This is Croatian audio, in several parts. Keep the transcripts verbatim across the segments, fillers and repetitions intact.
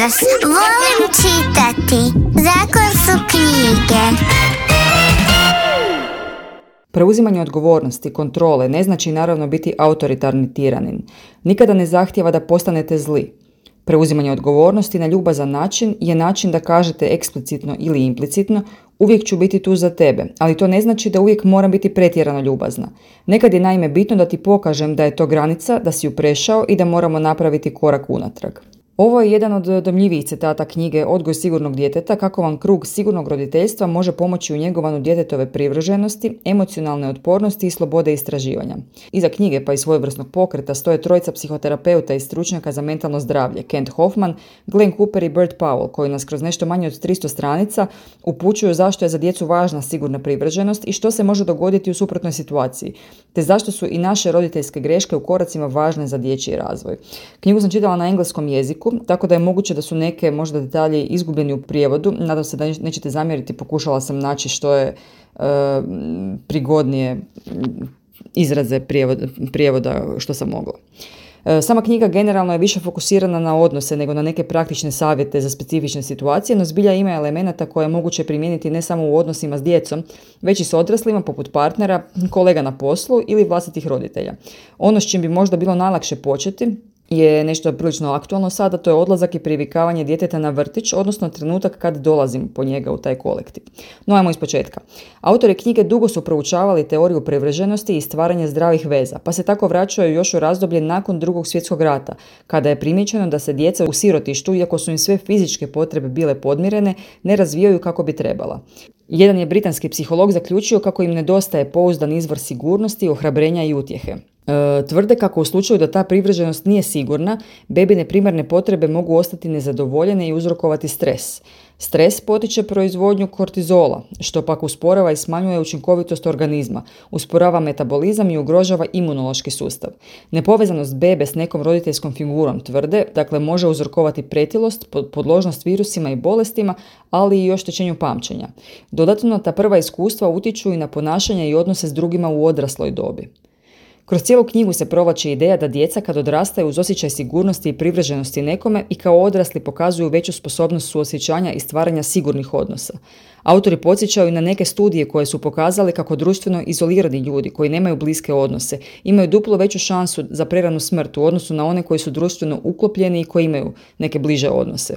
Jutros volim čitati. Zakon su knjige. Preuzimanje odgovornosti, kontrole, ne znači naravno biti autoritarni tiranin. Nikada ne zahtijeva da postanete zli. Preuzimanje odgovornosti na ljubazan način je način da kažete eksplicitno ili implicitno uvijek ću biti tu za tebe, ali to ne znači da uvijek moram biti pretjerano ljubazna. Nekad je naime bitno da ti pokažem da je to granica, da si ju prešao i da moramo napraviti korak unatrag. Ovo je jedan od dojmljivijih citata knjige Odgoj sigurnog djeteta, kako vam krug sigurnog roditeljstva može pomoći u njegovanju djetetove privrženosti, emocionalne otpornosti i slobode istraživanja. Iza knjige pa i svojevrsnog pokreta stoje trojica psihoterapeuta i stručnjaka za mentalno zdravlje, Kent Hoffman, Glenn Cooper i Bert Powell, koji nas kroz nešto manje od tristo stranica upućuju zašto je za djecu važna sigurna privrženost i što se može dogoditi u suprotnoj situaciji, te zašto su i naše roditeljske greške u koracima važne za dječji razvoj. Knjigu sam čitala na engleskom jeziku, tako da je moguće da su neke možda detalji izgubljeni u prijevodu. Nadam se da nećete zamjeriti, pokušala sam naći što je e, prigodnije izraze prijevoda, prijevoda što sam mogla. E, sama knjiga generalno je više fokusirana na odnose nego na neke praktične savjete za specifične situacije, no zbilja ima elemenata koje je moguće primijeniti ne samo u odnosima s djecom, već i s odraslima poput partnera, kolega na poslu ili vlastitih roditelja. Ono s čim bi možda bilo najlakše početi je nešto prilično aktualno sada, to je odlazak i privikavanje djeteta na vrtić, odnosno trenutak kad dolazim po njega u taj kolektiv. No, ajmo iz početka. Autori knjige dugo su proučavali teoriju privrženosti i stvaranje zdravih veza, pa se tako vraćaju još u razdoblje nakon Drugog svjetskog rata, kada je primijećeno da se djeca u sirotištu, iako su im sve fizičke potrebe bile podmirene, ne razvijaju kako bi trebala. Jedan je britanski psiholog zaključio kako im nedostaje pouzdan izvor sigurnosti, ohrabrenja i utjehe. E, tvrde kako u slučaju da ta privrženost nije sigurna, bebine primarne potrebe mogu ostati nezadovoljene i uzrokovati stres. Stres potiče proizvodnju kortizola, što pak usporava i smanjuje učinkovitost organizma, usporava metabolizam i ugrožava imunološki sustav. Nepovezanost bebe s nekom roditeljskom figurom, tvrde, dakle može uzrokovati pretilost, podložnost virusima i bolestima, ali i oštećenju pamćenja. Dodatno, ta prva iskustva utječu i na ponašanje i odnose s drugima u odrasloj dobi. Kroz cijelu knjigu se provlači ideja da djeca kad odrastaju uz osjećaj sigurnosti i privrženosti nekome i kao odrasli pokazuju veću sposobnost suosjećanja i stvaranja sigurnih odnosa. Autori podsjećaju na neke studije koje su pokazali kako društveno izolirani ljudi koji nemaju bliske odnose imaju duplo veću šansu za preranu smrt u odnosu na one koji su društveno uklopljeni i koji imaju neke bliže odnose.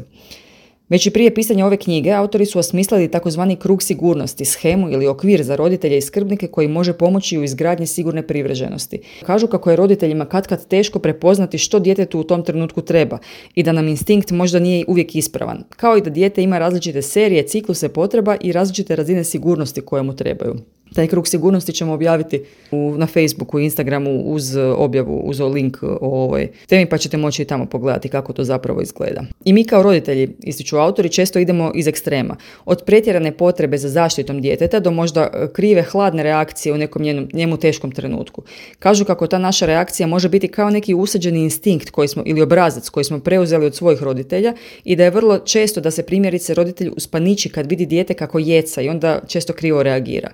Već i prije pisanja ove knjige, autori su osmislili takozvani krug sigurnosti, shemu ili okvir za roditelje i skrbnike koji može pomoći u izgradnji sigurne privrženosti. Kažu kako je roditeljima katkad teško prepoznati što djetetu u tom trenutku treba i da nam instinkt možda nije uvijek ispravan, kao i da dijete ima različite serije, cikluse potreba i različite razine sigurnosti koje mu trebaju. Taj krug sigurnosti ćemo objaviti u, na Facebooku i Instagramu uz objavu, uz link o ovoj temi, pa ćete moći i tamo pogledati kako to zapravo izgleda. I mi kao roditelji, ističu autori, često idemo iz ekstrema. Od pretjerane potrebe za zaštitom djeteta do možda krive, hladne reakcije u nekom njemu, njemu teškom trenutku. Kažu kako ta naša reakcija može biti kao neki usađeni instinkt koji smo, ili obrazac koji smo preuzeli od svojih roditelja i da je vrlo često da se primjerice roditelj uspaniči kad vidi dijete kako jeca i onda često krivo reagira.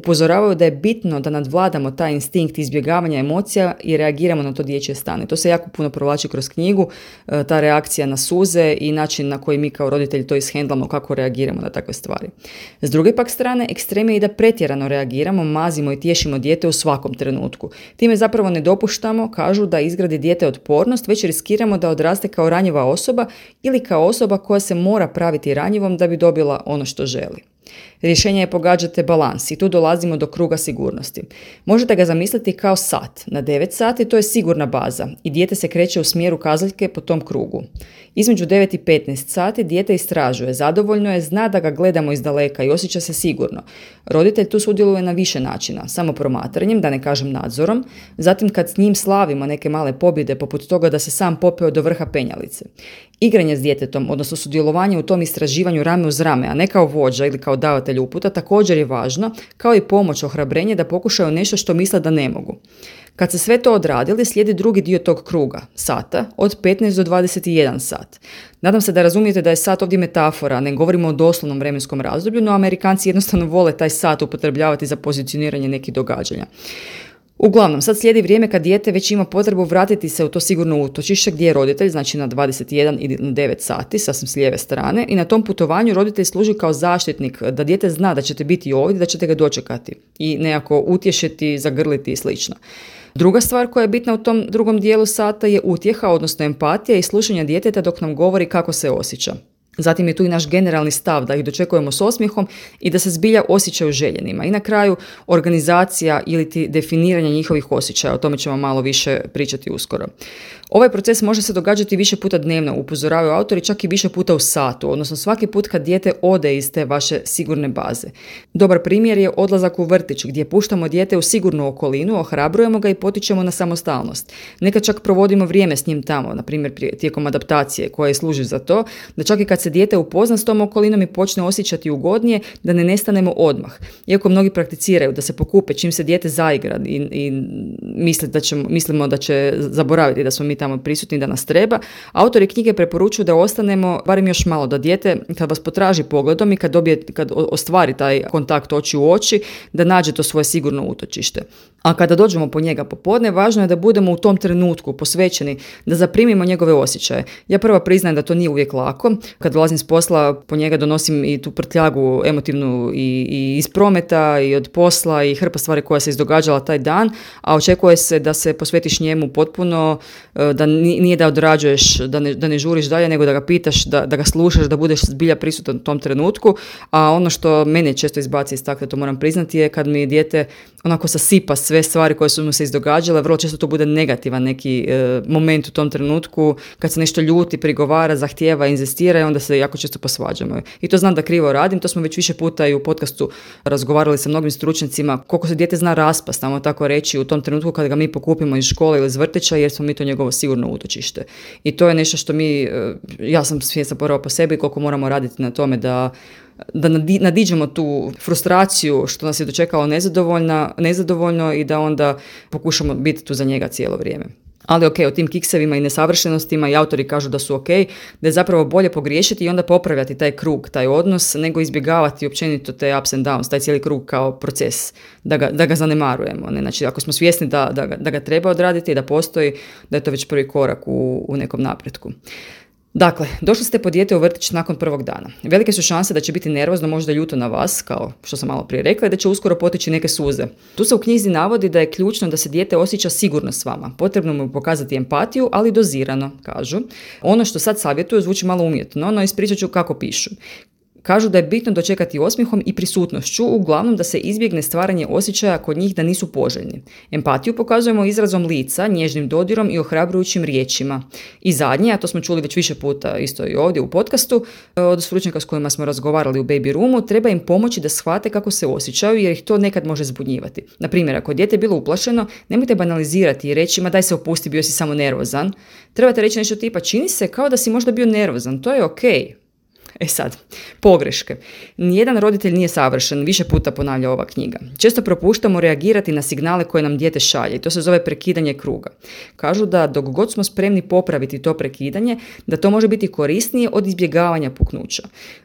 Upozoravaju da je bitno da nadvladamo taj instinkt izbjegavanja emocija i reagiramo na to dječje stanje. To se jako puno provlači kroz knjigu, ta reakcija na suze i način na koji mi kao roditelji to ishendlamo, kako reagiramo na takve stvari. S druge pak strane, ekstrem je i da pretjerano reagiramo, mazimo i tješimo dijete u svakom trenutku. Time zapravo ne dopuštamo, kažu, da izgradi dijete otpornost, već riskiramo da odraste kao ranjiva osoba ili kao osoba koja se mora praviti ranjivom da bi dobila ono što želi. Rješenje je pogađate balans i tu dolazimo do kruga sigurnosti. Možete ga zamisliti kao sat. Na devet sati to je sigurna baza i dijete se kreće u smjeru kazaljke po tom krugu. Između devet i petnaest sati dijete istražuje, zadovoljno je, zna da ga gledamo iz daleka i osjeća se sigurno. Roditelj tu sudjeluje na više načina, samo promatranjem, da ne kažem nadzorom, zatim kad s njim slavimo neke male pobjede poput toga da se sam popeo do vrha penjalice. Igranje s djetetom, odnosno sudjelovanje u tom istraživanju rame uz rame, a ne kao vođa ili kao davatelj uputa, također je važno, kao i pomoć, ohrabrenje da pokušaju nešto što misle da ne mogu. Kad se sve to odradili, slijedi drugi dio tog kruga, sata, od petnaest do dvadeset jedan sat. Nadam se da razumijete da je sat ovdje metafora, ne govorimo o doslovnom vremenskom razdoblju, no Amerikanci jednostavno vole taj sat upotrebljavati za pozicioniranje nekih događanja. Uglavnom, sad slijedi vrijeme kad dijete već ima potrebu vratiti se u to sigurno utočište gdje je roditelj, znači na dvadeset jedan ili na devet sati, sasvim s lijeve strane, i na tom putovanju roditelj služi kao zaštitnik, da dijete zna da ćete biti ovdje, da ćete ga dočekati i nekako utješiti, zagrliti i slično. Druga stvar koja je bitna u tom drugom dijelu sata je utjeha, odnosno empatija i slušanje djeteta dok nam govori kako se osjeća. Zatim je tu i naš generalni stav da ih dočekujemo s osmijehom i da se zbilja osjećaju željenima. I na kraju organizacija ili ti definiranje njihovih osjećaja, o tome ćemo malo više pričati uskoro. Ovaj proces može se događati više puta dnevno, upozoravaju autori, čak i više puta u satu, odnosno svaki put kad dijete ode iz te vaše sigurne baze. Dobar primjer je odlazak u vrtić gdje puštamo dijete u sigurnu okolinu, ohrabrujemo ga i potičemo na samostalnost. Nekad čak provodimo vrijeme s njim tamo, na primjer tijekom adaptacije koje služi za to, da čak i kad se dijete upozna s tom okolinom i počne osjećati ugodnije, da ne nestanemo odmah. Iako mnogi prakticiraju da se pokupe čim se dijete zaigra i, i misle da će, mislimo da će zaboraviti da smo mi tamo prisutni, da nas treba, autori knjige preporučuju da ostanemo barem još malo, da dijete kad vas potraži pogledom i kad, dobije, kad ostvari taj kontakt oči u oči, da nađe to svoje sigurno utočište. A kada dođemo po njega popodne, važno je da budemo u tom trenutku posvećeni, da zaprimimo njegove osjećaje. Ja prva priznajem da to nije uvijek lako. Kad dolazim s posla, po njega donosim i tu prtljagu emotivnu i, i iz prometa i od posla i hrpa stvari koja se izdogađala taj dan, a očekuje se da se posvetiš njemu potpuno, da nije da odrađuješ, da ne, da ne žuriš dalje, nego da ga pitaš, da, da ga slušaš, da budeš zbilja prisutan u tom trenutku. A ono što mene često izbaci iz takve, to moram priznati, je kad mi dijete onako sasipa sve stvari koje su mu se izdogađale. Vrlo često to bude negativan neki e, moment u tom trenutku, kad se nešto ljuti, prigovara, zahtijeva, inzistira i onda se jako često posvađamo. I to znam da krivo radim, to smo već više puta i u podcastu razgovarali sa mnogim stručnjacima, koliko se dijete zna raspast, tamo tako reći, u tom trenutku kad ga mi pokupimo iz škole ili iz vrtića, jer smo mi to njegovo sigurno utočište. I to je nešto što mi, ja sam svjesna prvo po sebi, koliko moramo raditi na tome da da nadiđemo tu frustraciju što nas je dočekalo nezadovoljno i da onda pokušamo biti tu za njega cijelo vrijeme. Ali ok, o tim kiksevima i nesavršenostima i autori kažu da su ok, da je zapravo bolje pogriješiti i onda popravljati taj krug, taj odnos, nego izbjegavati općenito te ups and downs, taj cijeli krug kao proces, da ga, da ga zanemarujemo. Ne? Znači, ako smo svjesni da, da, ga, da ga treba odraditi i da postoji, da je to već prvi korak u, u nekom napretku. Dakle, došli ste po dijete u vrtić nakon prvog dana. Velike su šanse da će biti nervozno, možda ljuto na vas, kao što sam malo prije rekla, i da će uskoro poteći neke suze. Tu se u knjizi navodi da je ključno da se dijete osjeća sigurno s vama. Potrebno mu pokazati empatiju, ali dozirano, kažu. Ono što sad savjetuju zvuči malo umjetno, no ispričat ću kako pišu. Kažu da je bitno dočekati osmijehom i prisutnošću, uglavnom da se izbjegne stvaranje osjećaja kod njih da nisu poželjni. Empatiju pokazujemo izrazom lica, nježnim dodirom i ohrabrujućim riječima. I zadnje, a to smo čuli već više puta isto i ovdje u podcastu, od stručnjaka s kojima smo razgovarali u Baby Roomu, treba im pomoći da shvate kako se osjećaju jer ih to nekad može zbunjivati. Na primjer, ako je dijete bilo uplašeno, nemojte banalizirati i reći ma daj se opusti, bio si samo nervozan. Trebate reći nešto tipa čini se kao da si možda bio nervozan, to je okej. E sad, pogreške. Nijedan roditelj nije savršen, više puta ponavlja ova knjiga. Često propuštamo reagirati na signale koje nam dijete šalje i to se zove prekidanje kruga. Kažu da dok god smo spremni popraviti to prekidanje, da to može biti korisnije od izbjegavanja puknuća.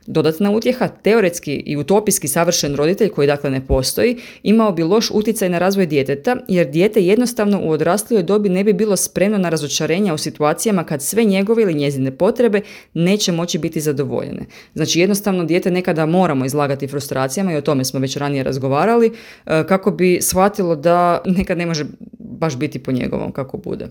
Dodatna utjeha, teoretski i utopijski savršen roditelj, koji dakle ne postoji, imao bi loš utjecaj na razvoj djeteta, jer dijete jednostavno u odraslijoj dobi ne bi bilo spremno na razočarenja u situacijama kad sve njegove ili njezine potrebe neće moći biti zadovoljene. Znači jednostavno dijete nekada moramo izlagati frustracijama i o tome smo već ranije razgovarali kako bi shvatilo da nekad ne može baš biti po njegovom kako bude.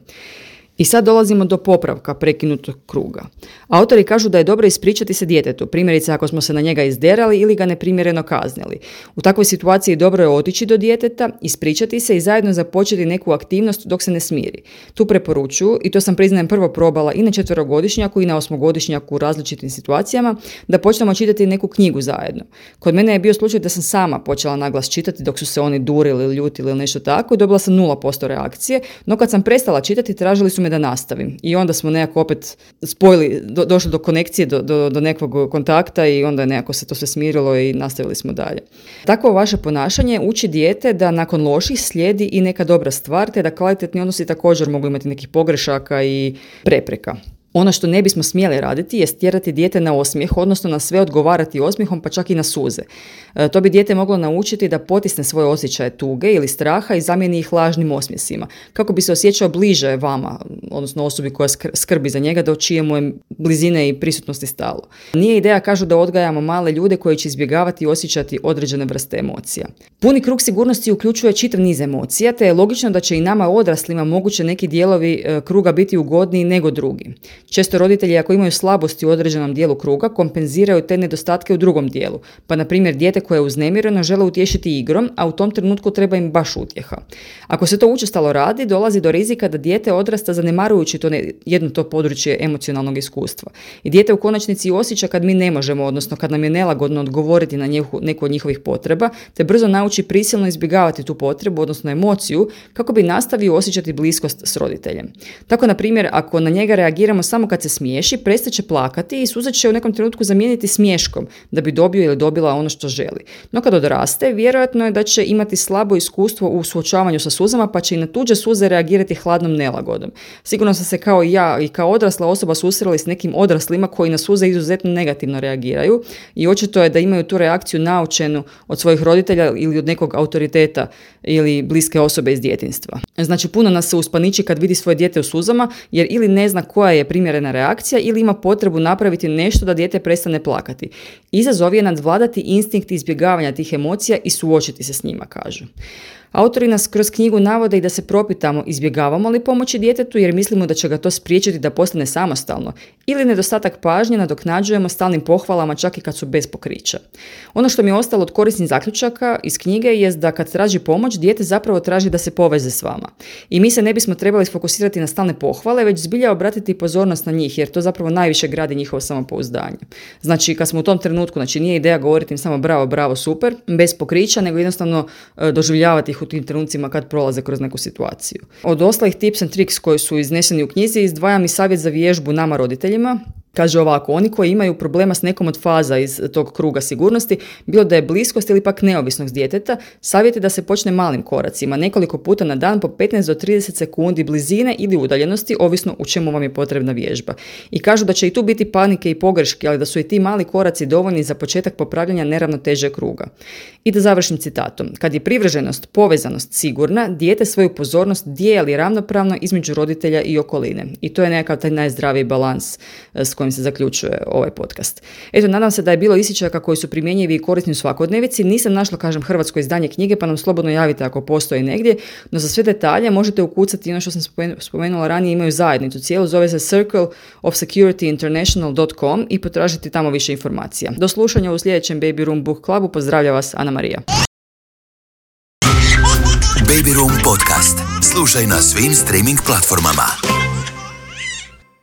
I sad dolazimo do popravka prekinutog kruga. Autori kažu da je dobro ispričati se djetetu, primjerice ako smo se na njega izderali ili ga neprimjereno kaznili. U takvoj situaciji dobro je otići do djeteta, ispričati se i zajedno započeti neku aktivnost dok se ne smiri. Tu preporučuju, i to sam priznajem prvo probala i na četverogodišnjaku i na osmogodišnjaku u različitim situacijama, da počnemo čitati neku knjigu zajedno. Kod mene je bio slučaj da sam sama počela naglas čitati dok su se oni durili ili ljutili ili nešto tako i dobila sam nula posto reakcije, no kad sam prestala čitati tražili su me da nastavim. I onda smo nekako opet spojili, do, došli do konekcije, do, do, do nekog kontakta i onda je nekako se to sve smirilo i nastavili smo dalje. Takvo vaše ponašanje uči dijete da nakon loših slijedi i neka dobra stvar, te da kvalitetni odnosi također mogu imati nekih pogrešaka i prepreka. Ono što ne bismo smjeli raditi je stjerati dijete na osmijeh, odnosno na sve odgovarati osmijehom, pa čak i na suze. E, to bi dijete moglo naučiti da potisne svoje osjećaje tuge ili straha i zamijeni ih lažnim osmjesima, kako bi se osjećao bliže vama, odnosno osobi koja skrbi za njega, do čije mu je blizine i prisutnosti stalo. Nije ideja, kažu, da odgajamo male ljude koji će izbjegavati i osjećati određene vrste emocija. Puni krug sigurnosti uključuje čitav niz emocija, te je logično da će i nama odraslima moguće neki dijelovi e, kruga biti ugodniji nego drugi. Često roditelji, ako imaju slabosti u određenom dijelu kruga, kompenziraju te nedostatke u drugom dijelu. Pa, na primjer, dijete koje je uznemireno žele utješiti igrom, a u tom trenutku treba im baš utjeha. Ako se to učestalo radi, dolazi do rizika da dijete odrasta zanemarujući to ne, jedno to područje emocionalnog iskustva. I dijete u konačnici osjeća kad mi ne možemo, odnosno kad nam je nelagodno odgovoriti na njehu, neku od njihovih potreba, te brzo nauči prisilno izbjegavati tu potrebu, odnosno emociju, kako bi nastavio osjećati bliskost s roditeljem. Tako, na primjer, ako na njega reagiramo samo kad se smiješi, prestaće plakati i suze će u nekom trenutku zamijeniti smiješkom da bi dobio ili dobila ono što želi. No kad odraste, vjerojatno je da će imati slabo iskustvo u suočavanju sa suzama, pa će i na tuđe suze reagirati hladnom nelagodom. Sigurno sam se kao i ja i kao odrasla osoba susreli s nekim odraslima koji na suze izuzetno negativno reagiraju i očito je da imaju tu reakciju naučenu od svojih roditelja ili od nekog autoriteta ili bliske osobe iz djetinjstva. Znači, puno nas se uspaniči kad vidi svoje dijete u suzama, jer ili ne zna koja je primjerena reakcija ili ima potrebu napraviti nešto da dijete prestane plakati. Izazov je nadvladati instinkt izbjegavanja tih emocija i suočiti se s njima, kažu. Autori nas kroz knjigu navode i da se propitamo izbjegavamo li pomoći djetetu jer mislimo da će ga to spriječiti da postane samostalno, ili nedostatak pažnje nadoknađujemo stalnim pohvalama čak i kad su bez pokrića. Ono što mi je ostalo od korisnih zaključaka iz knjige jest da kad traži pomoć, dijete zapravo traži da se poveze s vama. I mi se ne bismo trebali sfokusirati na stalne pohvale, već zbilja obratiti pozornost na njih, jer to zapravo najviše gradi njihovo samopouzdanje. Znači, kad smo u tom trenutku, znači nije ideja govoriti im samo bravo, bravo, super, bez pokrića, nego jednostavno e, doživljavati ih u tim trenucima kad prolaze kroz neku situaciju. Od ostalih tips and tricks koji su izneseni u knjizi izdvajam i savjet za vježbu nama roditeljima. Kaže ovako, oni koji imaju problema s nekom od faza iz tog kruga sigurnosti, bilo da je bliskost ili pak neovisnost djeteta, savjet je da se počne malim koracima, nekoliko puta na dan po petnaest do trideset sekundi blizine ili udaljenosti, ovisno u čemu vam je potrebna vježba. I kažu da će i tu biti panike i pogreške, ali da su i ti mali koraci dovoljni za početak popravljanja neravnoteže kruga. I da završim citatom. Kad je privrženost, povezanost sigurna, dijete svoju pozornost dijeli ravnopravno između roditelja i okoline. I to je nekakav taj najzdraviji balans s kojim se zaključuje ovaj podcast. Eto, nadam se da je bilo isječaka koji su primjenjivi i korisni u svakodnevici. Nisam našla, kažem, hrvatsko izdanje knjige, pa nam slobodno javite ako postoji negdje, no za sve detalje možete ukucati ono što sam spomenula ranije, imaju zajednicu cijelu, zove se circle of security international dot com i potražiti tamo više informacija. Do slušanja u sljedećem Baby Room Book Clubu, pozdravlja vas Ana Marija. Baby Room podcast. Slušaj na svim streaming platformama.